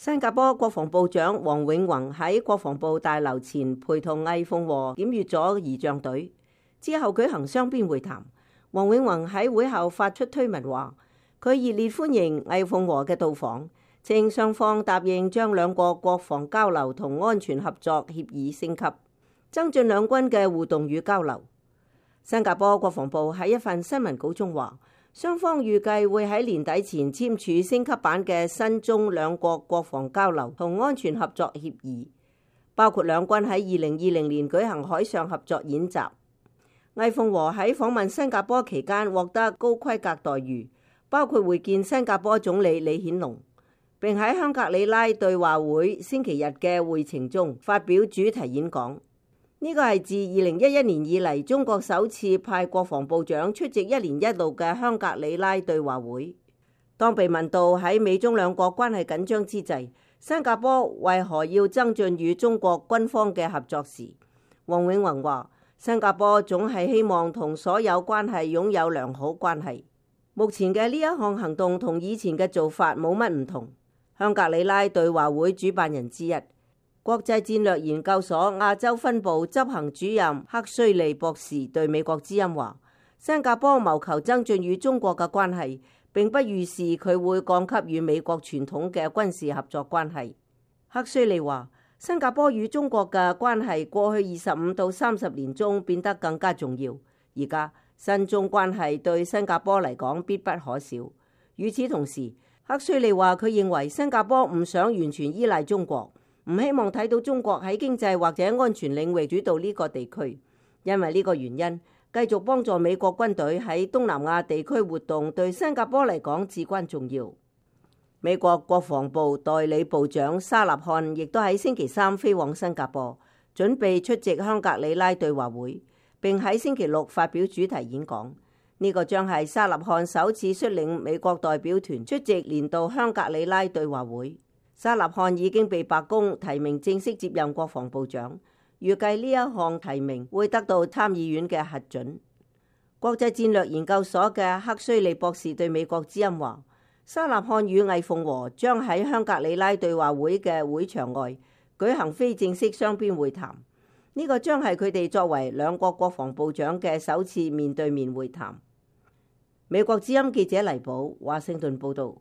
新加坡國防部長黃永宏喺國防部大樓前陪同魏鳳和檢閱咗儀仗隊，之後舉行雙邊會談。黃永宏喺會後發出推文話，佢熱烈歡迎魏鳳和嘅到訪，稱雙方答應將兩國國防交流同安全合作協議升級，增進兩軍嘅互動與交流。新加坡國防部喺一份新聞稿中話，雙方預計會喺年底前簽署升級版嘅新中兩國國防交流同安全合作協議，包括兩軍喺2020年舉行海上合作演習。魏鳳和喺訪問新加坡期間獲得高規格待遇，包括會見新加坡總理李顯龍，並喺香格里拉對話會星期日嘅會程中發表主題演講。呢個係自2011年以嚟中國首次派國防部長出席一年一度嘅香格里拉對話會。當被問到喺美中兩國關係緊張之際，新加坡為何要增進與中國軍方嘅合作時，黃永宏話：新加坡總係希望同所有關係擁有良好關係。目前嘅呢一項行動同以前嘅做法冇乜唔同。香格里拉對話會主辦人之一，國際戰略研究所亞洲分部執行主任克須利博士對美國之音話：新加坡謀求增進與中國嘅關係，並不預示佢會降級與美國傳統嘅軍事合作關係。克須利話：新加坡與中國嘅關係過去25到30年中變得更加重要，而家新中關係對新加坡嚟講必不可少。與此同時，克須利話佢認為新加坡唔想完全依賴中國，唔希望睇到中國喺經濟或者安全領域主導呢個地區，因為呢個原因，繼續幫助美國軍隊喺東南亞地區活動對新加坡嚟講至關重要。美國國防部代理部長沙納漢亦都喺星期三飛往新加坡，準備出席香格里拉對話會，並喺星期六發表主題演講。呢個將係沙納漢首次率領美國代表團出席年度香格里拉對話會。沙納漢已經被白宮提名正式接任國防部長，預計呢一項提名會得到參議院嘅核准。國際戰略研究所嘅克須利博士對美國之音話：沙納漢與魏鳳和將喺香格里拉對話會嘅會場外舉行非正式雙邊會談，呢個將係佢哋作為兩國國防部長嘅首次面對面會談。美國之音記者黎寶華盛頓報道。